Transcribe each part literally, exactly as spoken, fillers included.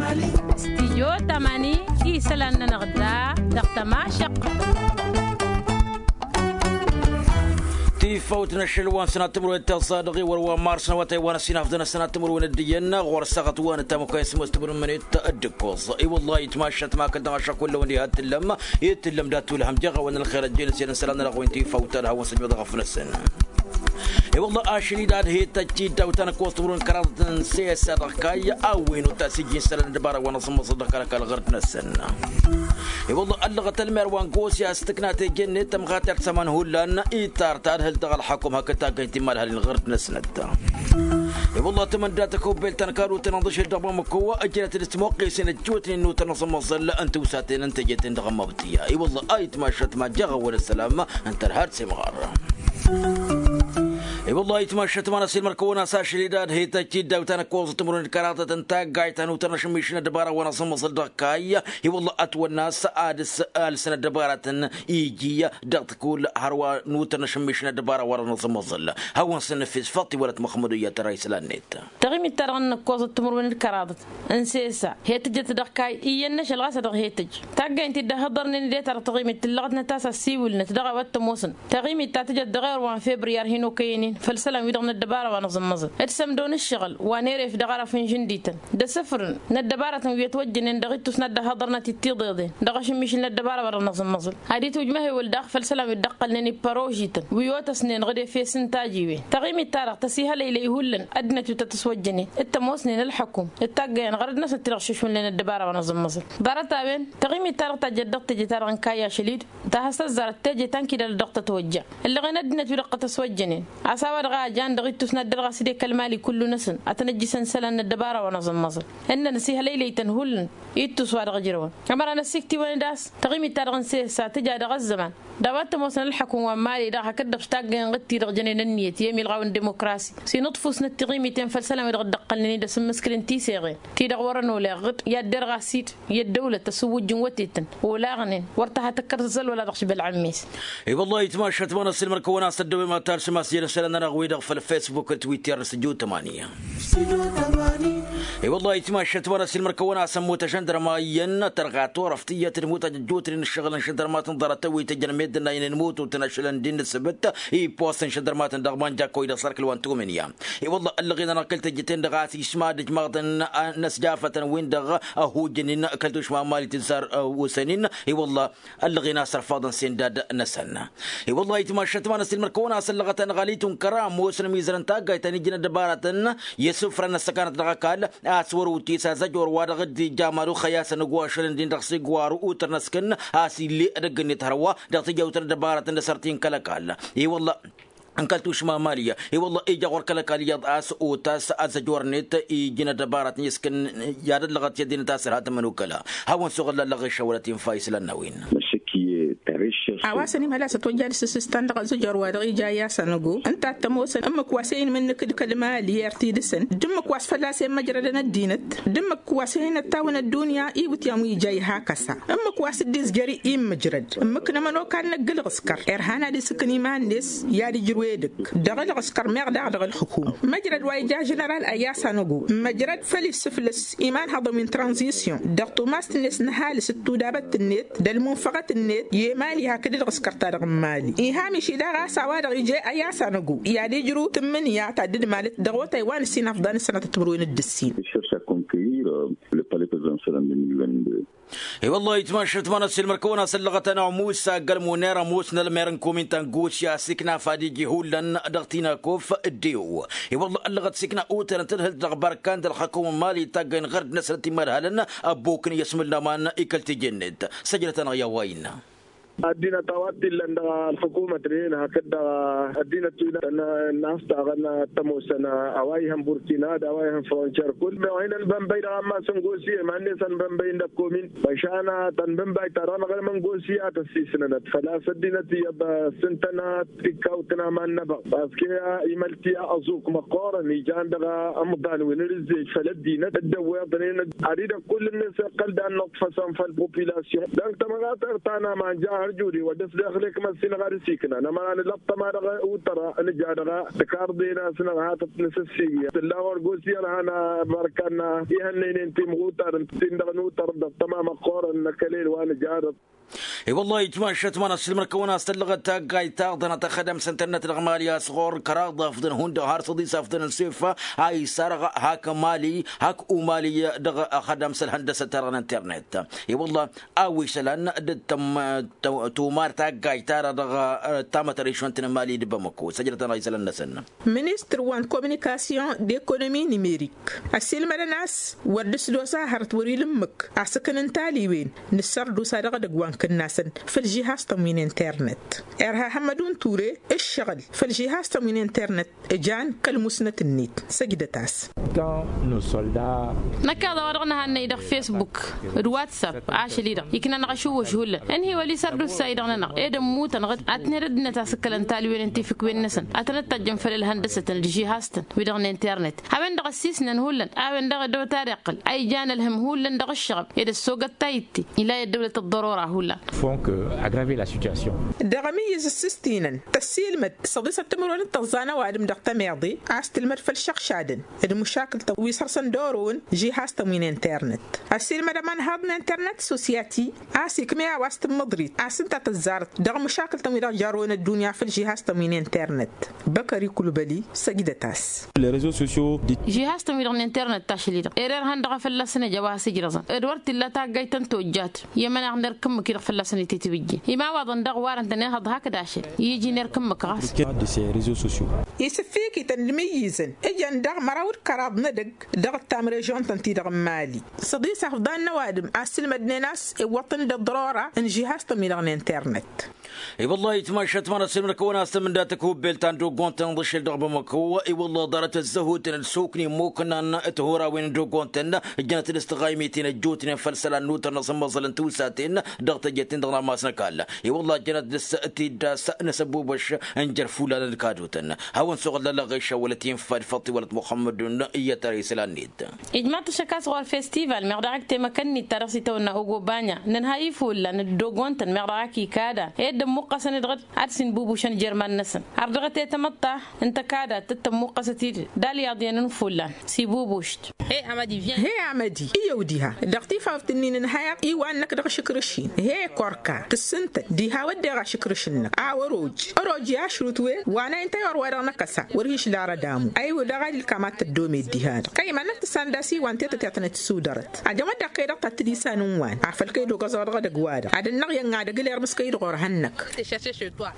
Stijyo tamani isălan-nănăɣ da dăɣ-tămašăqq. Tifawt n-ašăl wa n-sănat timǝrwen tiẓẓa dăɣ-iwăr wa n-mars n-awătay wa n-ăsinafdăn ăsănat timǝrwen d-iyyăn ɣur-ăssaɣăt wa n-ăttamăkwa i-sămos timǝrwen d-ǝddǝkkoẓ. I-wăllah itmašat ma kăl-dăɣ ašăk wăllăwăn diha t-tǝllăm i-t-tǝllăm dat-tulhăm jeɣ a-wen ălxer ăjjeen s-ed n-isălan-nănăɣ wen tifawt ta d-hawăn-săjmăḍ ɣăf-năsăn. I-wălla ašăl-i d-ad-he-tăjj tiddaw ta n-ǝkkoẓ timǝrwen kăraḍăt n-sesa dăɣ-kayy a-wen utas ijjin isălan n-ăddăbara wa n-aẓǝmmăẓăl dăɣ-kăl-ăkall ɣur-năsăn. I-wălla ăllăɣăt ălmer wa n-gosi a-s tǝkna teje-net tămɣatert s-ămanhullan itar tadhǝlt dăɣ-ălxăkum hakd taggăyt timadhalin ɣur-năsnăt. I-wălla tămănda tăkubbelt ta n-kăl-utăn ănḍǝšel dăɣ-bamăko ǝjnăt d-ăsmoqqesen ăjjootnen n-utăn aẓǝmmăẓăl n-tiwsaten n-teje-ten dăɣ-ămmabtǝya i-wălla a itmašat ma jeɣ a-wăla ăssălam. Ǝnta ălhad s-imɣar. I-wălla a itmašat ma n-asilmăr kăwăn-as ašăl-i d-ad-he-tăjj tiddaw ta n-ǝkkoẓăt timǝrwen d-kăraḍăt n-taggayt ta n-utăn ašǝmmiš n-ăddăbara wa n-aẓǝmmăẓăl dăɣ-kayy. I-wălla ătwănna a-s ad-s alsăn ăddăbaratăn iji dăɣ-tikull hărwa n-utăn ašǝmmiš n-ăddăbara wa n-aẓǝmmăẓăl hawăn-săn nǝfis făṭṭ-i wăla t-măxmădu iyyăt ăra islan-net. Taɣimit-ta-dăɣ n-ǝkkoẓăt timǝrwen d-kăraḍăt n-sesa he-tǝjjăt dăɣ-kayy iyyăn n-ašăl ɣas a dăɣ-he-tǝjj taggaynt-dd a hǝḍărnen d-e-ta-dăɣ taɣimit tǝllăɣăt n-ad-t-as-ăssiwǝlnăt dăɣ-a-wa t-ămoosăn. Taɣimit ta tǝjăt dăɣ-err wa n-febriyar hin-okăyăn-in făll-isălan-wi-dăɣ n-ăddăbara wa n-aẓǝmmăẓăl d-sămdo n-ǝššăɣǝl wa n-eref dăɣ-arăf n-žǝndităn d-asǝfrǝn n-ăddăbaratăn wi ătwăjjănen dăɣ-ittus n-ad-dd-ăhhăḍărnăt d-tiḍeḍen dăɣ-ašǝmmišǝl n-ăddăbara wa dăɣ-năẓǝmmăẓǝl ad-itwǝjmăhewăl daɣ făll-isălan wi dd-ăqqălnen ipărožităn wi otăsnen ɣǝd efes n-tajiwen. Taɣimit-ta-dăɣ tăsihălăylăy hullan ăddinăt wi tăt-ăswăjjănen d-tămoosnen ălxăkum d-taggăyăn ɣărăt-năsnăt ti-dăɣ šušmǝlnen ăddăbara wa n-aẓǝmmăẓǝl. Ḍarăt-a-wen taɣimit-ta-dăɣ tajjăt dăɣ-teje-ta-dăɣ n-kayy ašăl-i-dd ta has-tăzzarăt teje ta n-kidalăt dăɣ-tătwăjja. Ǝllăɣen ăddinăt-wi-dăɣ tăt-ăswăjjănen a-s a-wa-dăɣ a ăjan dăɣ-ittus n-ad-dăr-ɣas dd-ekăl mali kullu-năsăn ad-tăn-ăjjǝsăn isălan n-ăddăbara wa n-aẓǝmmăẓǝl. Ǝnnăn ăsihălăylăy-tăn hullan ittus wa dăɣ-ǝjrăwăn. Ămăra n-ăsiktiwăn-dd a-s taɣimit-ta-dăɣ n-sesa tǝja dăɣ-ăzzăman d-a-wa t-ămoosăn ălxăkum wa n-mali daɣ hakd-dăɣ s-taggăyăn ɣǝd-ti-dăɣ jănen ǝnniyăt i-emilɣaw n-dimokrasi s-inǝḍfusnăt tiɣimiten făll-isălan-wi-dăɣ dd-ăqqălnen-dd asǝmmǝskǝl n-tiseɣen ti-dăɣ wărăn oleɣ ɣǝd i-ad-derɣ a-s-dd i-ăddăwlăt ăsǝwwǝjjǝn wătetăn olaɣnen wăr tăha tăkkăr tăzzălwăla dăɣ-šbălɣămmes. I-wăllah itmašat ma n-ăssiilmăr-kăwăn a-s ăddăwem ad-talsǝm a-s i-ad-ăsălăn-nănăɣ-wi-dăɣ făll-facebook d-twitter s-ăjju tămani. I-wăllah itmašat ma n-ăssiilmăr-kăwăn a-s ămmut ažăndărma iyyăn tărɣa turăft iyyăt d-imutaj ăjjootnen ǝššăɣǝl n-ažăndărmatăn ḍarăt-ăwwit ǝjăn meddǝn a inǝnmututăn ašălăn d-innă ǝssǝbǝt i-post n-ažăndărmatăn dăɣ-manja kăwăy dăɣ-sărkǝl wa n-tumǝnǝya. I-wăllah ăllăɣen-anăɣ kăl-tejjăten-dăɣ a-s išma d-ijmaḍăn n-ăsjafătăn-win-dăɣ ăhujjăn-in kăl-tušma n-mali tǝzzar osăn-in. I-wăllah ăllăɣen a-s ărfaḍăn sendad-năsăn. I-wăllah itmašat ma n-ăssiilmăr-kăwăn a-s ăllăɣăt anɣăl itun kăra ămoosăn ămizăr n-taggayt ta n-iji n-ăddăbaratăn i-isǝfrăn n-ăssăkanăt dăɣ-ăkall a-s wăr-utis azăjor wa dăɣ-dd-ija maluxăy a-s ănăgg wa ašălăn-din dăɣ-sigwar utăr n-ăskǝn a-s ill'-e edăgg-net hărwa dăɣ-tijawt n-ăddăbaratăn d-asărti n-kăl-ăkall. I-wălla n-kăl-tušma n-mali i-wălla ija ɣur-kăl-ăkall iyyăḍ a-s otas azăjor-net iji n-ăddăbaratăn i-ăskǝn i-ad-ăllăɣăt i-ăddinăt a-s ărha tămănukăla. Hawăn-suɣǝlla ăllăɣ išăwălăt infa islan n-a-wen. A-wa s-ănimhăl a-s ătwăjja d-asǝssǝstan dăɣ-azăjor wa dăɣ-ija i-asănăgo ǝnta a t-ămoosăn ǝmmǝk wa s-e-inmǝnnǝk d-kăl-mali i-ar t-idǝsăn d-ǝmmǝk wa s-fălla-s i-ămmăjrădăn ăddinăt d-ǝmmǝk wa s-e-inăttawăn ăddunya iwǝtyan wi ija iha kăsa ǝmmǝk wa s-dd-izjăr i-immǝjrăd ǝmmǝk n-ămănokal n-ăgg-ǝlɣǝskăr irhan ad-isǝkǝn iman-net i-ad-ǝjrǝw edăgg dăɣ-ǝlɣǝskăr meɣ daɣ dăɣ-ǝlxǝkum măjrăd wa ija ženeral a i-asănăgo măjrăd făll-issǝflǝs imanhăḍăn wi n-tranzisyon dăɣ-tumast-net n-ăhalǝs d-tudabăt-net d-ălmunfăɣăt-net i-emali hakd ǝlɣǝskăr-ta-dăɣ n-mali iha miši daɣ a-s a-wa-dăɣ ije a i-asănăgo i-ad-ijrǝw tǝmmǝnǝya ta dd-malăt dăɣ-otay wa n-ăsinafḍan ǝssănăt timǝrwen d-ǝssin. I-wăllah itmašat ma n-ăssiilmăr-kăwăn a-s ăllăɣăt-anăɣ musa ăgg-ălmuner ămoos n-ălmer n-kumin ta n-gusya s-ikna fad iji hullan dăɣ-tinakof d-ew. I-wăllah ăllăɣăt s-ikna utărăn tadhǝlt dăɣ-bărkan d-ălxăkum n-mali taggăyăn ɣărd-năsnăt imărhalăn ăbbokăn i-ăsmǝl n-aman i-kăl-teje-net. Săjdăt-anăɣ i-a-wa innă. Ăddinăt a-wa t-illăn dăɣ-ălxukumăt-nen hakd dăɣ-ăddinăt wi n-aftaɣăn t-ămoosăn a-wa ihăn burkina d-a-wa ihăn frontier kull meɣ hin-ănbănbăy dăɣ-ammas n-gosi iman-net ănbănbăy n-dăɣ-komin. Măšan tănbănbay-ta-dăɣ năɣrǝm n-gosi a tăssisnănăt făl-a-s ăddinăt iyyăḍ s-ǝntănăt tikkawt n-aman n-abăɣ paske imălti aẓuk măqqoorăn ijan dăɣ-ămḍan wi n-rǝzzej făll-ăddinăt dd-ăwweḍnen ad-idăgg kull-net iqqăl d-ad-nǝḍfăsăn făll-population dăɣ-tămɣatăr ta n-aman ja. Juri wa dăɣ-s daxlek măssinăɣ ad-sikna nămăra nǝlăṭṭăma dăɣ-utăra nǝja dăɣ-tikarḍe n-asnăɣ hatăt nǝsǝssigǝya tǝlla ɣur-gos i-ărhan. Bărkanna ihănnăynen timɣutar n-tindăɣ n-utăr dăɣ-tămamăɣ ɣur-ănnăkălel wa nǝja dăɣ-. I-wăllah itmašăt ma n-asǝlmăr kăwăn-as tăllăɣăt taggayt taɣḍănăt ăxădăm s-internet dăɣ-mali a-s ɣur-kăr aḍafḍăn hundăɣ har săḍisafḍăn n-sefa a isarăɣ hak mali hak umali dăɣ-ăxădăm s-ălhăndăsăt-ta-dăɣ n-internet. I-wăllah a-wa isălan d-tumar taggayt-ta-dăɣ dăɣ-tamătărišont n-mali d-bamăko săjdăt-anăɣ isălan-năsăn. Ministăr wa n-kominikasyon d-ekonomi nimerik ăsilmădăn a-s wăr dd-s d-osa hărăt wăr-ila ǝmmǝk asǝkǝn n-taliwen n-ǝssărdusa dăɣ-edăgg wa n-kǝnnasăn făll-žihastăn wi n-internet. Irha hămmădun ture ǝššăɣǝl făll-žihastăn wi n-internet. Ǝjan kăl-musnăt-net săjdăt-as. Năkkeḍ a-wa dăɣ-nǝhannăy dăɣ-fesbuk d-whatsapp ašăl-i-dăɣ ikna-năɣ ašǝwwǝš hullan ǝnhǝy wăl' isărdusa-i-dăɣ-nănăɣ ed ămmutăn ad-tǝnhăd ăddinăt asǝkkălăn talwen n-tifǝkwen-năsăn ad-tăn-ăttajjăn făll-ălhăndăsătăn d-žihastăn wi-dăɣ n-internet. A-wen-dăɣ ăssisnăn hullan a-wen-dăɣ ăddăwăt ad-iqqǝl a ijan ălhǝm hullan dăɣ-ǝššăɣăb ed ăssogăt tayǝtte ila i-ăddăwlăt ăḍḍărora hullan. Font kăagrave la situation. Dăɣ-amǝyyǝz ǝssǝstinăn tăssiilmăd săḍisăt timǝrwen d-tăẓẓa n-ăwadǝm dăɣ-tămeḍe a-s tǝlmăd făll-išăɣšadăn d-măšakǝl-tăn wi s-hărsăn d-orăwăn žihastăn wi n-internet. Ăsiilmăd ămanhaḍ n-internet sosyati a-s ikmăy a-wa s-tǝmmǝḍrit a-s ǝnta tăzzarăt dăɣ-măšakǝl-tăn wi-dăɣ jarrăwăn ăddunya făll-žihastăn wi n-internet. Băkări kulbăli săjdăt-as. Žihastăn wi-dăɣ n-internet tašli-dăɣ ere ărhăn dăɣ-a fălla-săn ăj a-wa has-ǝjrăẓăn d-wăr t-illa taggayt ta n-tojjat i-ămăneɣ n-erk ǝmmǝk-i-dăɣ fălla-săn ititǝwǝjjen. Ima ăwaḍăn daɣ warăn-tăn ehăḍ hakd ašăl iji n-erk ǝmmǝk ɣas. Isǝffikităn d-imǝyyǝzăn ǝjăn dăɣ-măraw d-kăraḍ n-edăgg dăɣ-ăttam režon-tăn-ti-dăɣ n-mali. Săḍisafḍan n-ăwadǝm a ǝssǝlmădnen a-s iwwăḍ-tăn-dd ăḍḍărora n-žihastăn wi-dăɣ n-internet. I-wăllah itmašăt ma n-ăssilmăr-kăwăn-as tămǝnda tăkhubbelt ta n-dogon-tăn d-ašăl dăɣ-bamăko. I-wăllah ḍarăt ăzzăhutăn d-sokni ămmuknan. Tihurawen n-dogon-tăn ǝjjănăt d-s tăɣaymiten ăjjootnen făll-isălan n-utăr n-asǝmmăẓăl n-tiwsaten dăɣ-teje-ten-dăɣ n-amas n-ăkall. I-wăllah ăjjănăt d-s tiddas n-asăbubăš n-jer-fulalăn d-kadutăn. Hawăn-dd soɣăl lălăɣ išawălăt infa d-făṭṭ iwălăt muxămmădun i-ad-tăra isălan-net. Ijmaḍ-t ăššăk a-s ɣur-festival meɣ dăɣ-ak temăkănnit ta dăɣ-s itawănna ogo banya nǝnhăy ifullan d-dogon-tăn meɣ dăɣ-ak ikada ed dd-ămmuqqăsăn-dd ɣǝd ad-sinbubušăn jer-iman-năsăn. Ardăɣăt i-tamăḍt ta n-tăkada tăt-tămmuqqăsăt-dd d-alyaḍ iyyăn n-ifullan s-ibubuš-t. He amădi iyyăw diha dăɣ-tifawt-nin ǝnhăyăɣ iwa-năk dăɣ-ašǝkrǝš-in he korka tǝssǝntăt diha wădden ašǝkrǝš-năk a wăr-oj. Ăroj i-ašrut wen wa n-a inta i-wăr wa dăɣ-năkăsa wăr hi-išlarăd amu. Ayǝw dăɣ-ad-ilkam ad-tăddomed diha-dăɣ kăyman-năk tǝssan d-asiwan tetăt i-ad-tăn-dd-sudărăt. Ajăwăd-dăɣ kăy-dăɣ ta t-tǝdisa n-ǝnwan afăl kăy-dd-ogăẓăɣ dăɣ-edăgg-wa-dăɣ ad-ănnăɣ i-ănn ad-ăglăr mǝskăy-dd ɣur-hăn-năk.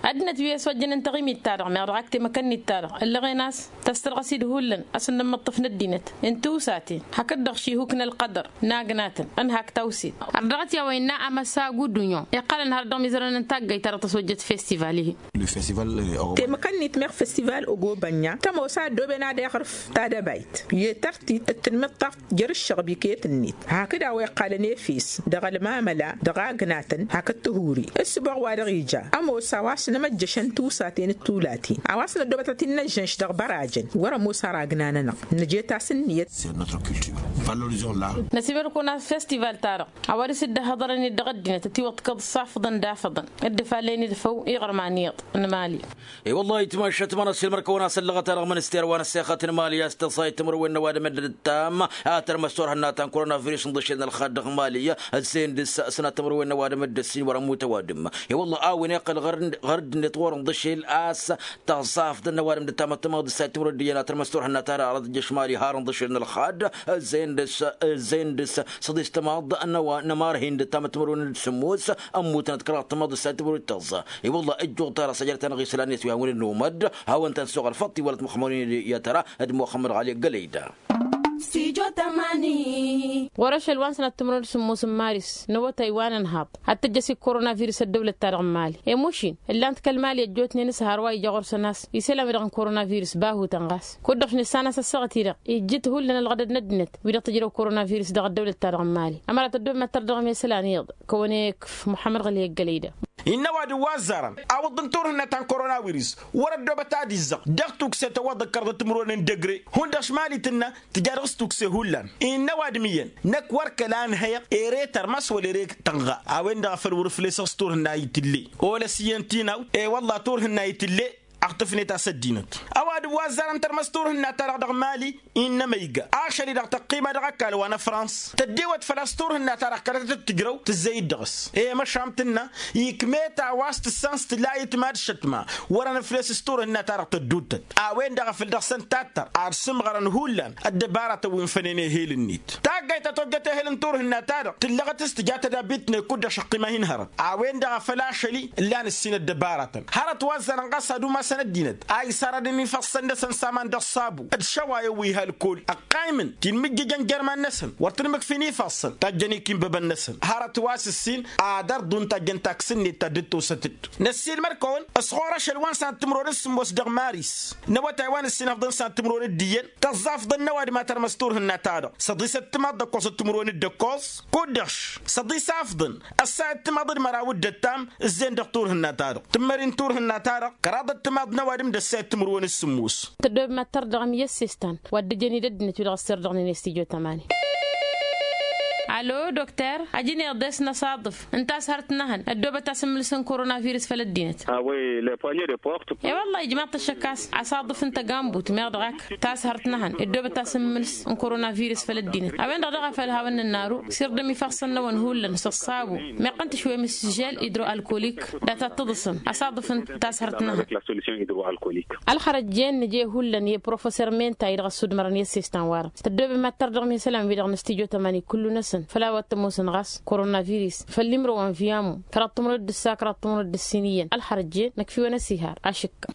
Ăddinăt wi ăsojjăn n-taɣimit-ta-dăɣ meɣ dăɣ-ak temăkănnit-ta-dăɣ ǝllăɣen a-s tăstărɣăs-dd hullan asǝnnămmăṭṭăf n-ăddinăt n-tiwsaten hakd-dăɣ šihuk n-ălqădăr n-agnatăn ănhak tawsit. Ărdăɣăt i-a-wa innă amăsagu dunyo iqqălăn har dăɣ-mizărăn n-taggayt-ta-dăɣ tăsojjăt festival-ihi. Temăkănnit meɣ festival ogobănya tămoos a ăddooben ad-iɣrǝf tadăbayt i-tărtit d-tanmiḍt ta jer-ǝššăɣb iket-net hakd a-wa iqqalăn efes dăɣ-ălmamăla dăɣ-agnatăn hakd tihuri ǝssǝboɣ wa dăɣ-ija. Ămoos a-wa s-nămăjjăšăn tiwsaten d-tulaten a-wa s-năddoobătăt innăžžănš dăɣ-bărajăn wăr-ămoos ara agna-nănăɣ. Nǝjet-as ǝnniyăt. Năsimăr-kăwăn a-s festival-ta-dăɣ a-wa dăr-s dd-ăhhăḍărăn-dd dăɣ-ăddinăt ătiwăḍkăḍ s-afḍăn d-afăḍăn dd-ăfallen-dd făw iɣărman iyyăḍ n-emali. I-wăllah itmašăt ma n-ăssiilmăr-kăwăn a-s ăllăɣăt-a-dăɣ mănăster wa n-ăssexăt n-emali a-s tăẓẓayăt timǝrwen n-ăwadǝm dd-ǝttam a tărmăs turhǝnna ta n-koronavirus n-iḍǝšel n-ălxad dăɣ-emali. Ăzzeyăn dăɣ-s sănat timǝrwen n-ăwadǝm dd-ǝssin wăr-ămmut ăwadǝm. I-wăllah a-wen iqqăl ɣăr-dd-net ɣur-inḍǝšel a-s tăẓẓafḍăn n-ăwadǝm dd-tamăttămăɣ d-ǝssayăt timǝrwen d-iyyăn a tărmăs turhǝnna ta dăɣ-arăt ǝjjăš emali har inḍǝšel n-ălxad. Ăzzeyăn dăɣ-s ăzzeyăn dăɣ-s săḍis tămaḍ n-ăwa n-ămarhin dd-tamăttămărwen d-sǝmmos. Ămmutăn d-kăraḍ tămaḍ d-ǝssayăt timǝrwen d-tăẓẓa. I-wăllah ăjjuɣ-t ara săjdăt-anăɣ isălan-net wi hawăn-dd-nǝwmăd hawăn-tăn-soɣăl făṭṭ iwălăt muxămmădun i-ad-tăra d-muxămmăd ɣali ăggălăy da. Ɣur-ašăl wa n-sănat timǝrwen d-sǝmmos n-maris n-awătay wa n-ănhaḍ ad-tǝjjăš i-koronavirus ăddăwlăt-ta-dăɣ n-mali. Emušin ǝllan-t kăl-mali ăjjootnen s-hărwa ija ɣur-săn a-s isălan-wi-dăɣ n-koronavirus bahutăn ɣas kud-dăɣ-š nǝssan a-s ăssaɣăt-i-dăɣ ijjǝt hullan ălɣădăd n-ăddinăt wi-dăɣ tǝjrăw koronavirus dăɣ-ăddăwlăt-ta-dăɣ n-mali. Ămăra tăddoobem ad-tărdăɣăm i-isălan iyyăḍ kăwăn-e-ikf muḥămmăd ɣǝli i-ăggălăy da. Innă ăwadǝm wa ăzzarăn awǝḍḍǝn turhǝnna ta n-koronawiris wăr-ăddoobăt ad-izzăɣ dăɣ-tukse tăwwăḍăt kăraḍăt timǝrwen n-degre. Hundăɣ šmalitǝnna tǝja dăɣ-s tukse hullan. Innă ăwadǝm iyyăn năkk wăr kăla ănhăyăɣ ere tărmăs wăla ere tănɣa. A-wen-dăɣ a făl wăr-ǝflesăɣ s-turhǝnna itǝlle. Olăs iyyăn tinaw e-wălla turhǝnna itǝlle. Aɣtǝfnet a-s ăddinăt ăwadǝm wa ăzzarăn tărmăs turhǝnna-ta-dăɣ dăɣ-mali. Innă măyga ašăl-i-dăɣ tăqqima dăɣ-ăkall wa n-ăfrans tăddiwăt făl-a-s turhǝnna-ta-dăɣ kăratăt d-tǝjrăw tǝzzăy-dd dăɣ-s. I-măšan tǝnna ikmet a-wa s-tǝssan s-tǝla itma d-šătma. Wărăn ǝfles s-turhǝnna-ta-dăɣ tădduuttăt a-wen-dăɣ a făl dăɣ-săn tattăr ad-sǝmɣărăn hullan ăddăbaratăn wi n-fănen ehel-net. Taggayt ta tojjăt ehel n-turhǝnna-ta-dăɣ tǝllăɣăt s-tǝja tădabbit-net kud-dăɣ šăqqima hin-hărăt. A-wen-dăɣ a făl ašăl-i ǝllan ǝssin ăddăbaratăn hărăt wa ăzzarăn ɣas ad-umasăn ăddinăt a isarădăn ifassăn-năsăn s-aman dăɣ-sabu d-šăwayăn wi h-alkol ăqqaymǝn tinmǝjjǝjăn jer-iman-năsăn wăr tǝnmǝkfin ifassăn tajjăn ikinbăbăn-năsăn hărăt wa s-ǝssin ad-ărḍun tajjăn taks-net ta dd-tosăt-dd. Năssiilmăr-kăwăn s-ɣur-ašăl wa n-san timǝrwen s-sǝmmos dăɣ-maris n-awătay wa n-ǝssin ăfḍăn san timǝrwen d-iyyăn tăẓẓafḍăn n-ăwadǝm a tărmăs turhǝnna-ta-dăɣ săḍisăt timaḍ d-ăkkoẓăt timǝrwen d-ăkkoẓ kud-dăɣ săḍisafḍăn ăssayăt timaḍ d-măraw d-ăttam. Ǝzzeyăn dăɣ-turhǝnna-ta-dăɣ tǝmmări n-turhǝnna-ta-dăɣ kăraḍăt timaḍ n-ăwadǝm d-ăssayăt timǝrwen s-sǝmmos. Tăddoobem ad-tărdăɣăm i-ăssestan wa dd-ǝjăn-dd ăddinăt-wi-dăɣ ăsserdăɣnen i-stujo tămani. Alo dokter ajǝneḍ-e-s n-asaḍǝf ǝnta a-s hărăt n-ehăn ăddoobăt asǝmmǝlǝs n-koronavirǝs făll-ăddinăt. E-wălla-hi ǝjmaḍ-t ăššăk a-s asaḍǝf n-tăgambut meɣ dăɣ-ak ta s-hărăt n-ehăn ăddoobăt asǝmmǝlǝs n-koronavirǝs făll-ăddinăt. A-wen-dăɣ daɣ a făl hawăn-nǝnnaru s-irdăm ifassăn-năwăn hullan s-ăṣṣabu meqqăn tǝšwem s-žel idro-alkolik. Dat-ad-tǝḍǝsăm asaḍǝf n-ta s-hărăt n-ehăn. Ălxărăt jen nǝje hullan i-professor menta-i-dăɣ ăssudmărăn i-ăssestan-wa-dăɣ tăddoobem ad-tărdăɣăm i-isălan-wi-dăɣ n-stujo tămani kullu-năsăn făll-a-wa t-ămoosăn ɣas koronavirus făll-imrăwăn viyamu kăraḍ timǝrwen d-ǝssa kăraḍ timǝrwen d-ǝssin iyyăn ălxărăt jen năkfiwăn ăsihar ašǝkka.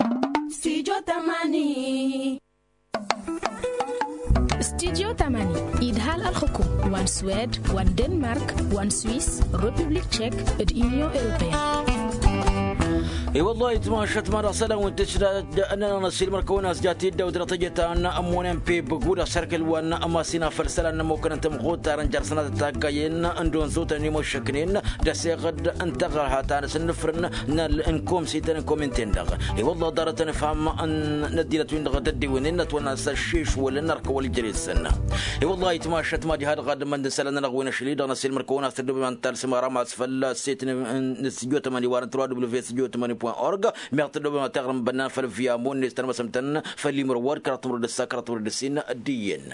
Stujo tămani idhal ălxǝkum wa n-swed wa n-denmark wa n-swis, republik tšek d-union europeyăn. I-wăllah itmašăt ma dăɣ-isălan wi n-tǝšdad ănnănăɣ n-ăssiilmăr-kăwăn a-s jat-dd-awdăr tăjăt a n-ămmonen peb guda s-erk ǝlwan ma s-inafăl isălan n-ămmokăn n-tamɣut ta dăr-n jer-sănatăt taggayen n-donzotăn i-măššăknen d-aseɣăd n-taɣărha ta n-asǝnnǝfrǝn n-komsităn n-kominten-dăɣ. I-wăllah ḍarăt ănfam n-ăddinăt-win-dăɣ tăddiwǝnnen ătwănna s-ăššišwălăn ărkăwăl ijressăn. I-wăllah itmašăt ma diha-dăɣ ad-ǝmmăn d-isălan-nănăɣ wi n-ašli-dăɣ n-ăssiilmăr-kăwăn a-s tăddoobem ad-nǝtalsǝm aram a-s făll-set n-stujo tămani wa n-ătrăwa w-set stujo tămani point org meɣ tăddoobem ad-taɣrǝm bănnan făll-viamon-net tărmăsăm-tăn făll-imrǝwwăd kăraḍ timǝrwăd d-ǝssa kăraḍ timǝrwăd d-ǝssin d-iyyăn.